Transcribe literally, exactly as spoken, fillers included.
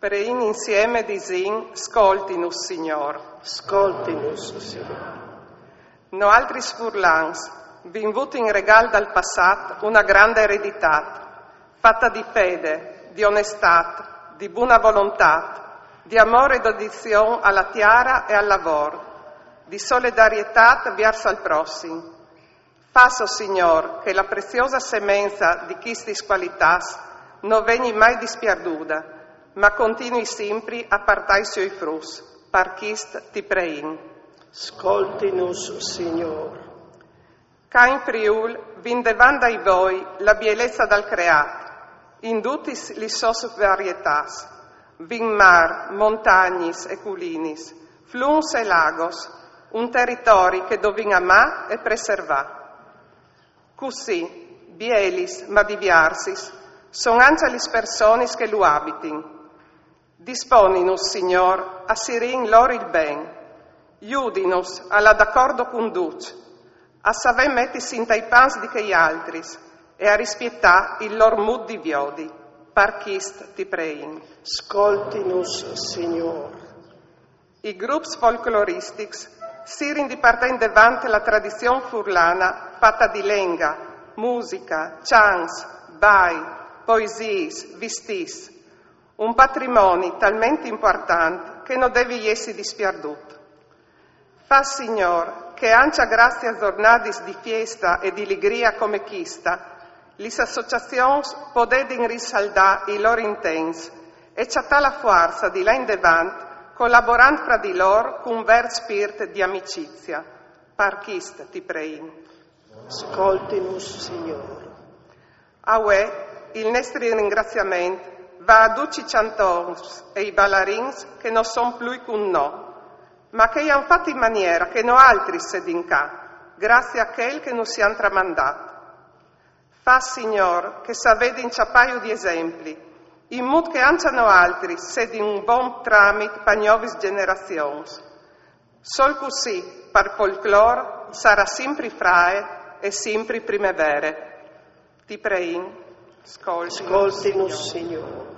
Preìn insiemi e disìn: scoltinus, Signôr. Scoltinus, Signôr. Noaltris furlans vin vût in regâl dal passât una granda ereditât, fata di fede, di onestât, di buna volontât, di amôr e dedizion a la tiara e al lavôr, di solidarietât viers al prossim. Fâs, o Signôr, che la preziosa semenza di chistis cualitâts no vegni mai dispierduda, ma continui simpri a puartâ i siei fruts. Par chist ti preìn. Scoltinus, Signôr. Ca in Friûl vin devant dai voi la bielezza dal creât, in dutis lis sôs varietâts, vin mâr, montagnis e culinis, flums e lagos, un teritori che dovìn amâ e preservâ. Cussì, bielis ma diviarsis, son ancja lis personis che lu abitin. Disponinus, Signôr, a sirî in lôr il ben, judinus a lâ dacordo cun ducj, a savê metisi intai pans di chei altris e a rispietâ il lôr mût di viodi. Par chist ti preìn. Scoltinus, Signôr. I grups folcloristics sirin di puartâ indevant la tradizion furlana fata di lenga, musica, cjants, bai, poesiis, vistîts. Un patrimoni talmentri impuartant che no devi jessi dispierdût. Fâs, Signôr, che ancja graciis a zornadis di fiesta e di ligria come chista, lis associazions podedin risaldâ i lôr intents e cjatâ la fuarza di lâ indevant colaborant fra di lôr cun vêr spirt di amicizia. Par chist ti preìn. Scoltinus, Signôr. A vuê il nestri ringraziament al va a ducj i cjantôrs e i balarins che no son plui cun nô, ma che i àn fat in maniera che noaltris sedin ca, graciis a chel che nus àn tramandât. Fâs, Signôr, che savedin cjapâju di esempli, in mût che ancja noaltris sedin un bon tramit pa gnovis gjenerazions. Sôl cussì, par folclôr, sarà simpri frae e simpri primevere. Ti preìn. Scoltinus, Scoltinus, Signôr.